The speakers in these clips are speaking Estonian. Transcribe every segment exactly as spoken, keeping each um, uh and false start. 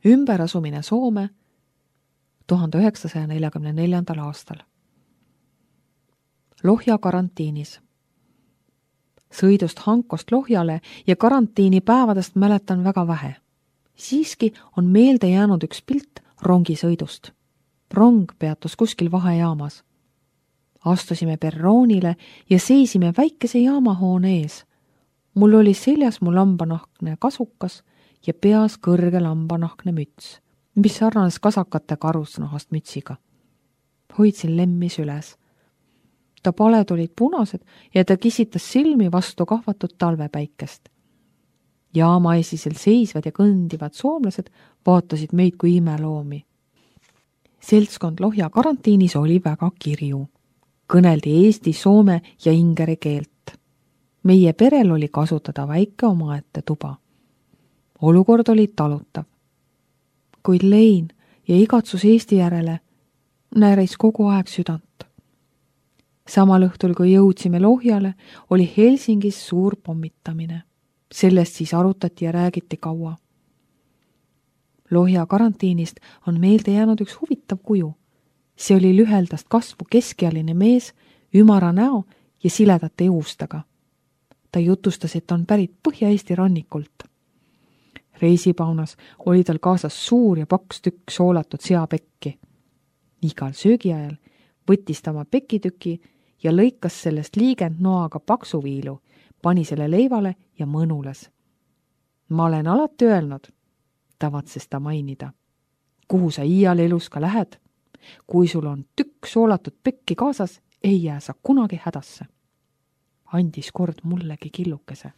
ümberasumine Soome tuhande üheksasaja neljakümne neljandal aastal. Lohja karantiinis. Sõidust Hankost Lohjale ja karantiini päevadest mäletan väga vähe. Siiski on meelde jäänud üks pilt rongisõidust. Rong peatus kuskil vahejaamas. Astusime perroonile ja seisime väikese jaamahoone ees. Mul oli seljas mu lambanahkne kasukas ja peas kõrge lambanahkne müts, mis sarnanes kasakate karusnahast mütsiga. Hoidsin lemmis üles. Ta paled olid punased ja ta kisitas silmi vastu kahvatud talvepäikest. Jaamaesisel seisvad ja kõndivad soomlased vaatasid meid kui imeloomi. Seltskond Lohja karantiinis oli väga kirju. Kõneldi eesti, soome ja ingeri keelt. Meie perel oli kasutada väike omaette tuba. Olukord oli talutav. Kuid lein ja igatsus Eesti järele nääris kogu aeg südant. Samal õhtul, kui jõudsime Lohjale, oli Helsingis suur pommitamine. Sellest siis arutati ja räägiti kaua. Lohja karantiinist on meelde jäänud üks huvitav kuju. See oli lüheldast kasvu keskealine mees, ümara näo ja siledate juustega. Ta jutustas, et on pärit Põhja-Eesti rannikult. Reisipaunas oli tal kaasas suur ja paks tükk soolatud seapekki. Igal söögiajal võttis ta oma pekitüki ja lõikas sellest liigend noaga paksu viilu, pani selle leivale ja mõnules. Ma olen alati öelnud, tavatses ta mainida, kuhu sa iial elus ka lähed. Kui sul on tükk soolatud pekki kaasas, ei jää sa kunagi hädasse. Andis kord mullegi killukese.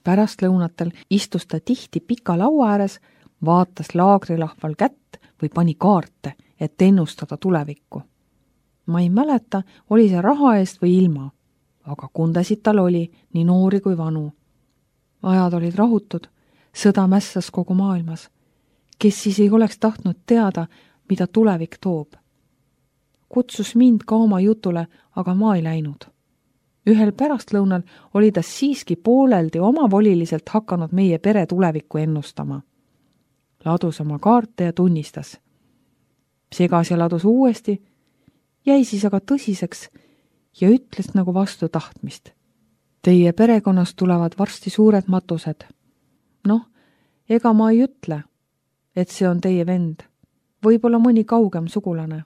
Pärast lõunatel istus ta tihti pika laua ääres, vaatas laagrilahval kätt või pani kaarte, et ennustada tulevikku. Ma ei mäleta, oli see raha eest või ilma, aga kundasid tal oli nii noori kui vanu. Ajad olid rahutud, sõda mässas kogu maailmas. Kes siis ei oleks tahtnud teada, mida tulevik toob. Kutsus mind ka oma jutule, aga ma ei läinud. Ühel pärastlõunal oli ta siiski pooleldi omavoliliselt hakanud meie pere tulevikku ennustama. Ladus oma kaarte ja tunnistas. Segas ja ladus uuesti, jäi siis aga tõsiseks ja ütles nagu vastu tahtmist. Teie perekonnast tulevad varsti suured matused. Noh, ega ma ei ütle, et see on teie vend. Võib-olla mõni kaugem sugulane.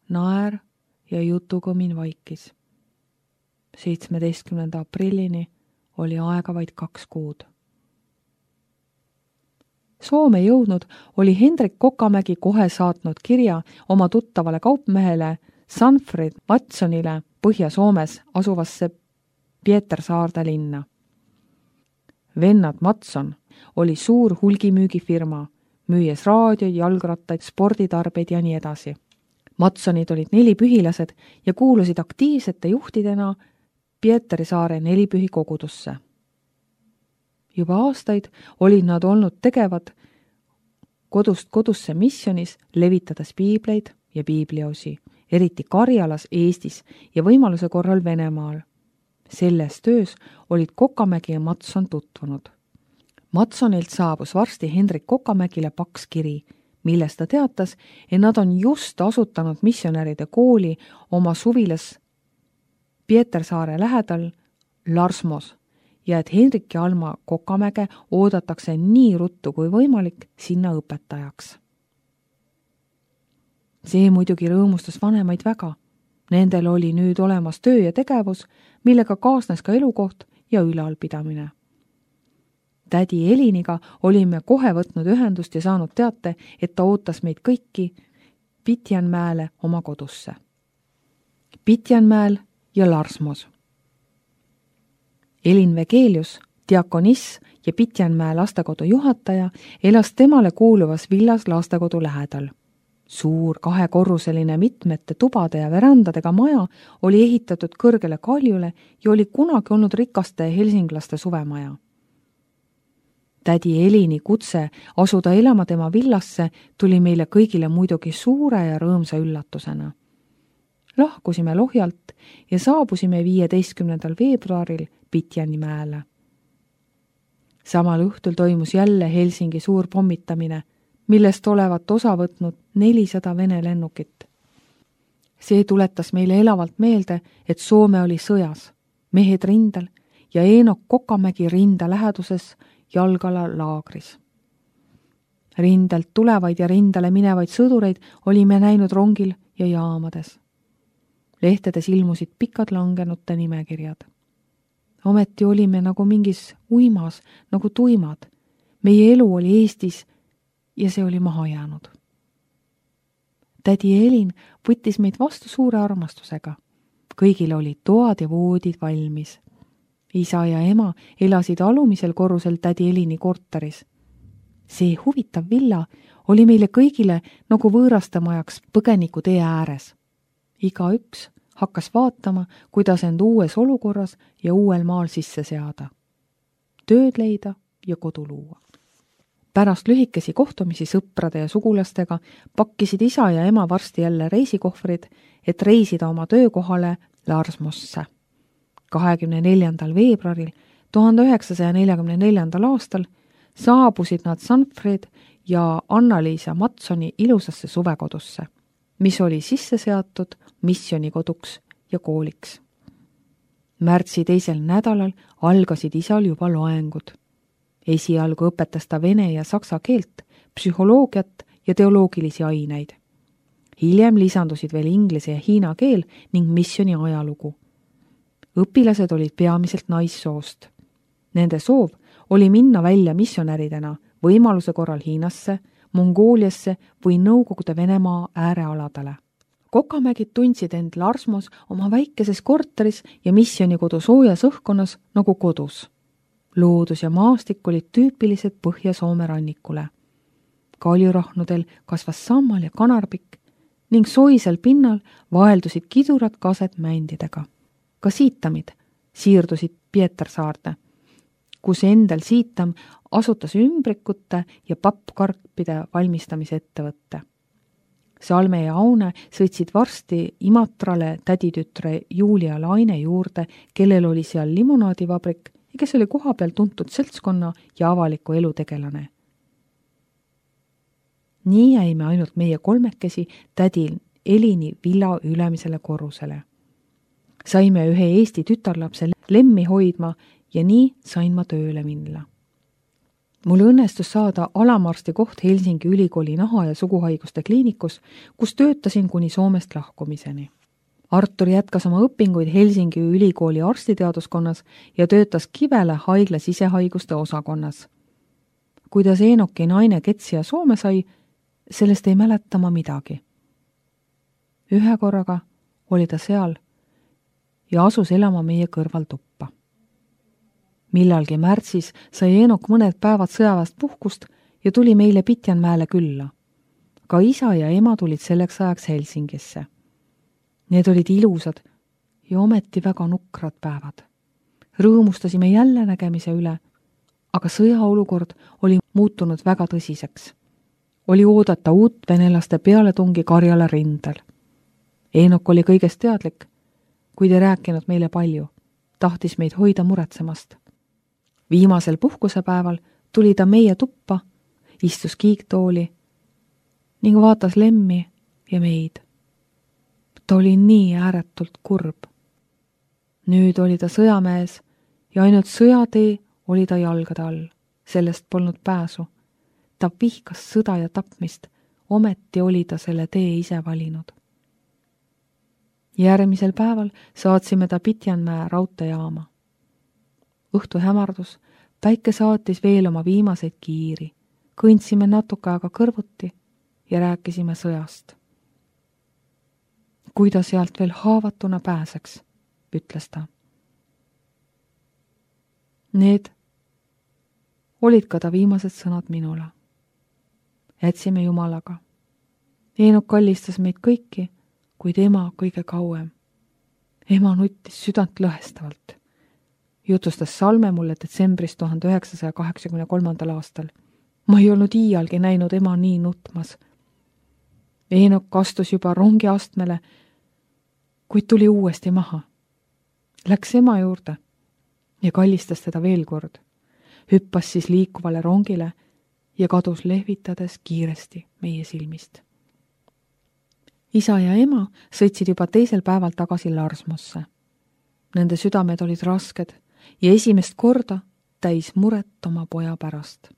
Naer ja jutugõmin vaikis. seitsmeteistkümnenda aprillini oli aega vaid kaks kuud. Soome jõudnud oli Hendrik Kokamägi kohe saatnud kirja oma tuttavale kaupmehele Sanfrid Matsonile Põhja-Soomes asuvasse Pietersaarde linna. Vennad Matson oli suur hulgimüügifirma, müües raadioid, jalgrattaid, sporditarbeid ja nii edasi. Matsonid olid nelipühilased ja kuulusid aktiivsete juhtidena Pietersaare nelipühi kogudusse. Juba aastaid olid nad olnud tegevad kodust kodusse missionis, levitades piibleid ja piibliosi, eriti Karjalas, Eestis ja võimaluse korral Venemaal. Selles töös olid Kokamägi ja Matson tutvunud. Matsonilt saabus varsti Hendrik Kokamägile paks kiri, milles ta teatas, et nad on just asutanud missionäride kooli oma suvilas Pietersaare lähedal Larsmos ja et Hendrik ja Alma Kokamäge oodatakse nii ruttu kui võimalik sinna õpetajaks. See muidugi rõõmustas vanemaid väga. Nendel oli nüüd olemas töö ja tegevus, millega kaasnes ka elukoht ja ülalpidamine. Tädi Eliniga olime kohe võtnud ühendust ja saanud teate, et ta ootas meid kõiki Pitjanmäele oma kodusse. Pitjanmäel ja Larsmos. Elin Vegelius, diakoniss ja Pitjanmäe lastekodu juhataja, elas temale kuuluvas villas lastekodu lähedal. Suur kahekorruseline mitmete tubade ja verandadega maja oli ehitatud kõrgele kaljule ja oli kunagi olnud rikaste helsinglaste suvemaja. Tädi Elini kutse asuda elama tema villasse tuli meile kõigile muidugi suure ja rõõmsa üllatusena. Lahkusime Lohjalt ja saabusime viieteistkümnendal veebruaril Pitjanmäele. Samal õhtul toimus jälle Helsingi suur pommitamine, millest olevat osa võtnud nelisada Vene lennukit. See tuletas meile elavalt meelde, et Soome oli sõjas, mehed rindel ja Eenok Kokamägi rinda läheduses Jalgala laagris. Rindelt tulevaid ja rindale minevaid sõdureid olime näinud rongil ja jaamades. Lehtedes ilmusid pikad langenute nimekirjad. Ometi olime nagu mingis uimas, nagu tuimad. Meie elu oli Eestis ja see oli maha jäänud. Tädi Elin võttis meid vastu suure armastusega. Kõigil olid toad ja voodid valmis. Isa ja ema elasid alumisel korrusel tädi Elini korteris. See huvitav villa oli meile kõigile nagu võõrastamajaks põgeniku tee ääres. Iga üks hakkas vaatama, kuidas end uues olukorras ja uuel maal sisse seada. Tööd leida ja kodu luua. Pärast lühikesi kohtumisi sõprade ja sugulastega pakkisid isa ja ema varsti jälle reisikohvrid, et reisida oma töökohale Larsmosse. kahekümne neljandal veebruaril tuhande üheksasaja neljakümne neljandal aastal saabusid nad Sanfred ja Anna-Liisa Matsoni ilusasse suvekodusse, mis oli sisse seatud missionikoduks ja kooliks. Märtsi teisel nädalal algasid isal juba loengud. Esialgu õpetas ta vene ja saksa keelt, psühholoogiat ja teoloogilisi aineid. Hiljem lisandusid veel inglise ja hiina keel ning missioni ajalugu. Õpilased olid peamiselt naissoost. Nende soov oli minna välja missionäridena võimaluse korral Hiinasse, Mongooliasse või Nõukogude Venemaa äärealadele. Kokamägid tundsid end Larsmos oma väikeses korteris ja missionikodu soojas õhkkonnas nagu kodus. Loodus ja maastik olid tüüpilised Põhja-Soome rannikule. Kaljurahnudel kasvas sammal ja kanarpikk ning soisel pinnal vaeldusid kidurad kaset mändidega. Ka siitamid siirdusid Pietarsaarde, kus endal siitam asutas ümbrikute ja pappkarpide valmistamise ettevõtte. Salme ja Aune sõitsid varsti Imatrale täditütre Julia Laine juurde, kellel oli seal limonaadivabrik ja kes oli koha peal tuntud seltskonna ja avaliku elu tegelane. Nii jäime ainult meie kolmekesi tädi Elini villa ülemisele korrusele. Saime ühe Eesti tütarlapse Lemmi hoidma ja nii sain ma tööle minna. Mul õnnestus saada alamarsti koht Helsingi ülikooli naha- ja suguhaiguste kliinikus, kus töötasin kuni Soomest lahkumiseni. Artur jätkas oma õpinguid Helsingi ülikooli arstiteaduskonnas ja töötas Kivele haigla sisehaiguste osakonnas. Kuidas Eenoki naine Ketsia Soome sai, sellest ei mäleta ma midagi. Ühe korraga oli ta seal ja asus elama meie kõrval tuppa. Millalgi märtsis sai Eenok mõned päevad sõjaväest puhkust ja tuli meile Pitjanmäele külla. Ka isa ja ema tulid selleks ajaks Helsingisse. Need olid ilusad ja ometi väga nukrad päevad. Rõõmustasime jälle nägemise üle, aga sõjaolukord oli muutunud väga tõsiseks. Oli oodata uut venelaste pealetungi Karjala rindel. Eenok oli kõigest teadlik, kuid ei rääkinud meile palju, tahtis meid hoida muretsemast. Viimasel puhkusepäeval tuli ta meie tuppa, istus kiiktooli ning vaatas Lemmi ja meid. Ta oli nii ääretult kurb. Nüüd oli ta sõjamees ja ainult sõjatee oli ta jalgade all. Sellest polnud pääsu. Ta vihkas sõda ja tapmist, ometi oli ta selle tee ise valinud. Järgmisel päeval saatsime ta Pitjanmäe raudteejaama. Õhtu hämardus, päike saatis veel oma viimaseid kiiri. Kõndsime natuke aega kõrvuti ja rääkisime sõjast. Kui ta sealt veel haavatuna pääseks, ütles ta. Need olid ka ta viimased sõnad minule. Jätsime Jumalaga. Eenok kallistas meid kõiki, kuid ema kõige kauem. Ema nuttis südant lõhestavalt. Jutustas Salme mulle detsembris tuhande üheksasaja kaheksakümne kolmandal aastal. Ma ei olnud iialgi näinud ema nii nutmas. Eenok astus juba rongi astmele, kuid tuli uuesti maha. Läks ema juurde ja kallistas teda veel kord. hüppas siis liikuvale rongile ja kadus lehvitades kiiresti meie silmist. Isa ja ema sõitsid juba teisel päeval tagasi Larsmosse. Nende südamed olid rasked ja esimest korda täis muret oma poja pärast.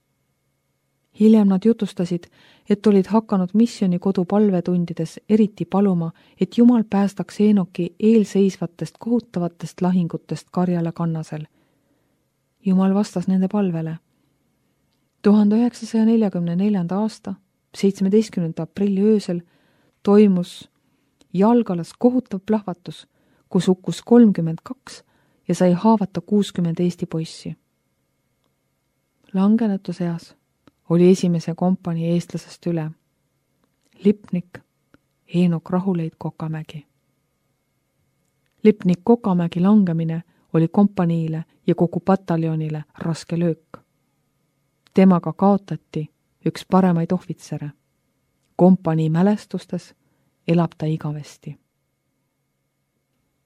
Hiljem nad jutustasid, et olid hakanud missiooni kodu palvetundides eriti paluma, et Jumal päästaks Eenoki eelseisvatest kohutavatest lahingutest Karjala kannasel. Jumal vastas nende palvele. tuhande üheksasaja neljakümne neljanda aasta seitsmeteistkümnenda aprilli öösel toimus Jalgalas kohutav plahvatus, kus hukkus kolmkümmend kaks ja sai haavata kuuskümmend Eesti poissi. Langenute seas oli esimese kompanii eestlasest üle. Lipnik Eenok Rahuleid Kokamägi. Lipnik Kokamägi langemine oli kompaniile ja kogu pataljonile raske löök. Temaga kaotati üks paremaid ohvitsere. Kompanii mälestustes elab ta igavesti.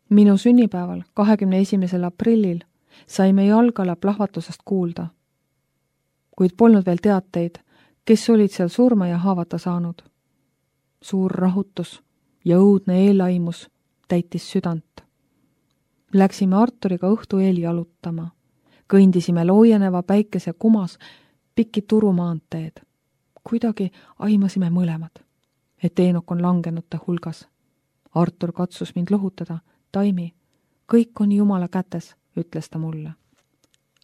Minu sünnipäeval, kahekümne esimesel aprillil, saime Jalgala plahvatusest kuulda, kuid polnud veel teateid, kes olid seal surma ja haavata saanud. Suur rahutus ja õudne eelaimus täitis südant. Läksime Arturiga õhtu eel jalutama. Kõndisime loojeneva päikese kumas pikki turumaanteed. Kuidagi aimasime mõlemad, et Eenok on langenute hulgas. Artur katsus mind lohutada. Taimi, kõik on Jumala kätes, ütles ta mulle.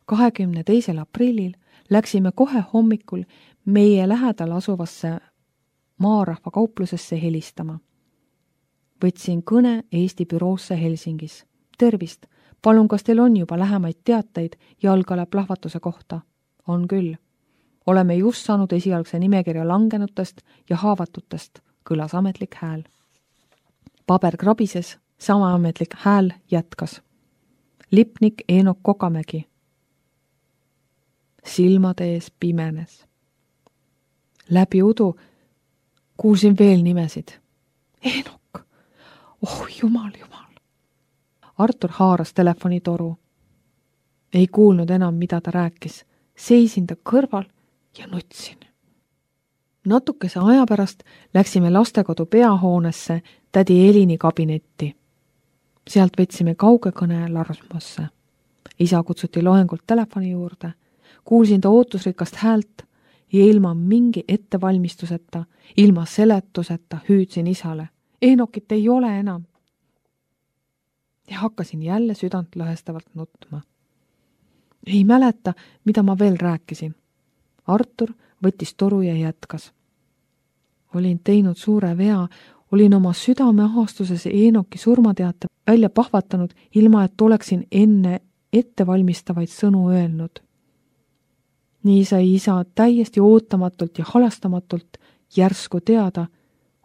kahekümne teisel aprillil läksime kohe hommikul meie lähedal asuvasse maarahva kauplusesse helistama. Võtsin kõne Eesti büroosse Helsingis. Tervist, palun, kas teil on juba lähemaid teateid Jalgala plahvatuse kohta? On küll. Oleme just saanud esialgse nimekirja langenutest ja haavatutest, kõlas ametlik hääl. Paber krabises, sama ametlik hääl jätkas. Lipnik Eenok Kokamägi. Silmade ees pimenes. Läbi udu kuulsin veel nimesid. Eenok! Oh, jumal, jumal! Artur haaras telefonitoru. Ei kuulnud enam, mida ta rääkis. Seisin ta kõrval ja nutsin. Natukese aja pärast läksime lastekodu peahoonesse tädi Elini kabinetti. Sealt võtsime kauge kõne Larsmosse. Isa kutsuti loengult telefoni juurde. Kuulsin ta ootusrikast häält ja ilma mingi ettevalmistuseta, ilma seletuseta hüüdsin isale. Eenokit ei ole enam. Ja hakkasin jälle südant lõhestavalt nutma. Ei mäleta, mida ma veel rääkisin. Artur võttis toru ja jätkas. Olin teinud suure vea, olin oma südame ahastuses Eenoki surmateate välja pahvatanud, ilma et oleksin enne ettevalmistavaid sõnu öelnud. Nii sai isa täiesti ootamatult ja halastamatult järsku teada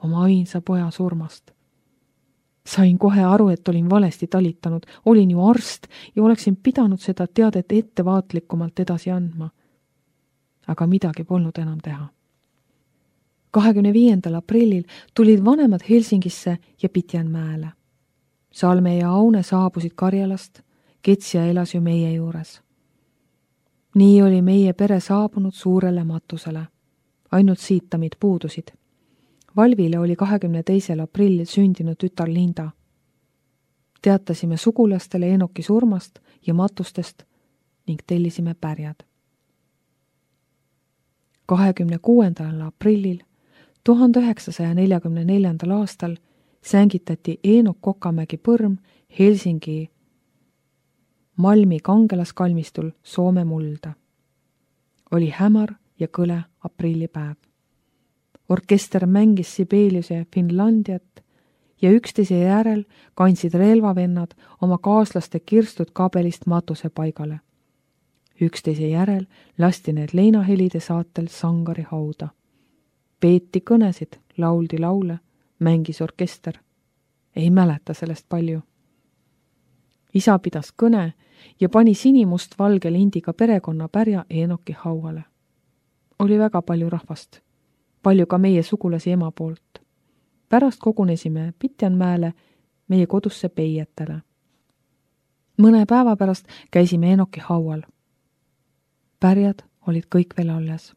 oma ainsa poja surmast. Sain kohe aru, et olin valesti talitanud, olin ju arst ja oleksin pidanud seda teadet ettevaatlikumalt edasi andma. Aga midagi polnud enam teha. kahekümne viiendal aprillil tulid vanemad Helsingisse ja Pitjanmäele. Salme ja Aune saabusid Karjalast, Ketsja elas ju meie juures. Nii oli meie pere saabunud suurele matusele. Ainult siitamid puudusid. Valvile oli kahekümne teisel aprillil sündinud tütar Linda. Teatasime sugulastele Eenoki surmast ja matustest ning tellisime pärjad. kahekümne kuuendal aprillil tuhande üheksasaja neljakümne neljandal aastal sängitati Eenok Kokamägi põrm Helsingi Malmi kangelaskalmistul Soome mulda. Oli hämar ja kõle aprillipäev. Orkester mängis Sibeliuse Finlandiat ja üksteise järel kandsid relvavennad oma kaaslaste kirstud kabelist matuse paigale. Üksteise järel lasti need leinahelide saatel Sangari hauda. Peeti kõnesid, lauldi laule, mängis orkester. Ei mäleta sellest palju. Isa pidas kõne ja pani sinimust valge lindiga perekonna pärja Eenoki hauale. Oli väga palju rahvast, palju ka meie sugulasi ema poolt. Pärast kogunesime Pitjanmäele meie kodusse peietele. Mõne päeva pärast käisime Eenoki haual. pärjad olid kõik veel alles.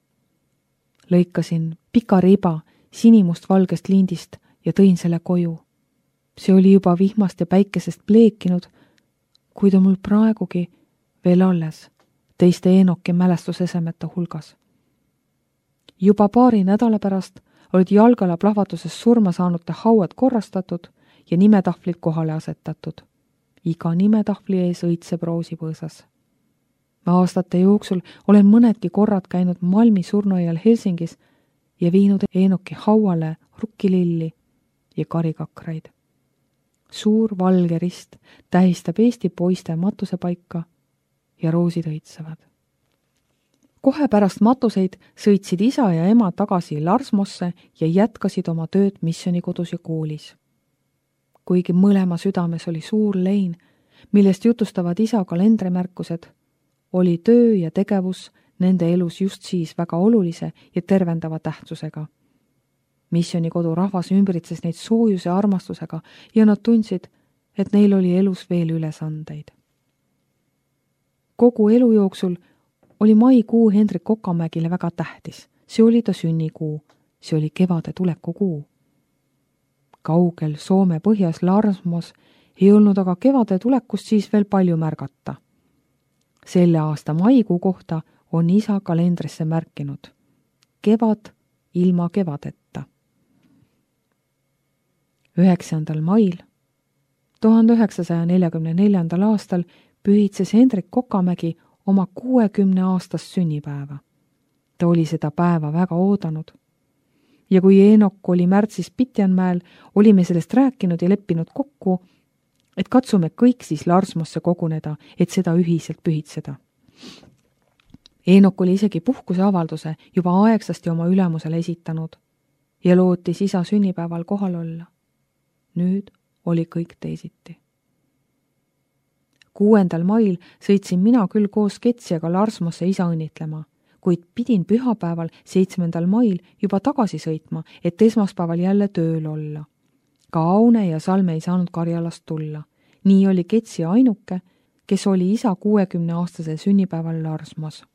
Lõikasin pika riba sinimust-valgest lindist ja tõin selle koju. See oli juba vihmast ja päikesest pleekinud, kuid on mul praegugi veel alles teiste Eenoki mälestusesemete hulgas. Juba paari nädala pärast olid Jalgala plahvatuses surma saanute hauad korrastatud ja nimetahvlid kohale asetatud. Iga nimetahvli ees õitseb roosipõõsas. Ma aastate jooksul olen mõnedki korrad käinud Malmi surnuaial Helsingis ja viinud Eenoki hauale rukkililli ja karikakraid. Suur valge rist tähistab Eesti poiste matusepaika ja roosid õitsevad. Kohe pärast matuseid sõitsid isa ja ema tagasi Larsmosse ja jätkasid oma tööd missioonikodus ja koolis. Kuigi mõlema südames oli suur lein, millest jutustavad isa kalendrimärkused, oli töö ja tegevus nende elus just siis väga olulise ja tervendava tähtsusega. Missionikodu rahvas ümbritses neid soojuse armastusega ja nad tundsid, et neil oli elus veel ülesandeid. Kogu elu jooksul oli maikuu Hendrik Kokamägile väga tähtis. See oli ta sünnikuu, see oli kevade tulekukuu. Kaugel Soome põhjas Larsmos ei olnud aga kevade tulekust siis veel palju märgata. Selle aasta maikuu kohta on isa kalendrisse märkinud. Kevad ilma kevadetta. üheksandal mail tuhande üheksasaja neljakümne neljandal aastal pühitses Hendrik Kokamägi oma kuuekümne aastast sünnipäeva. Ta oli seda päeva väga oodanud. Ja kui Eenok oli märtsis Pitjanmäel, olime sellest rääkinud ja leppinud kokku, et katsume kõik siis Larsmosse koguneda, et seda ühiselt pühitseda. Eenok oli isegi puhkuse avalduse juba aegsasti oma ülemusele esitanud ja lootis isa sünnipäeval kohal olla. Nüüd oli kõik teisiti. Kuuendal mail sõitsin mina küll koos Ketsiaga Larsmosse isa õnnitlema, kuid pidin pühapäeval seitsmendal mail juba tagasi sõitma, et esmaspäeval jälle tööl olla. Ka Aune ja Salme ei saanud Karjalast tulla. Nii oli Ketsia ainuke, kes oli isa kuuekümne aastase sünnipäeval Larsmos.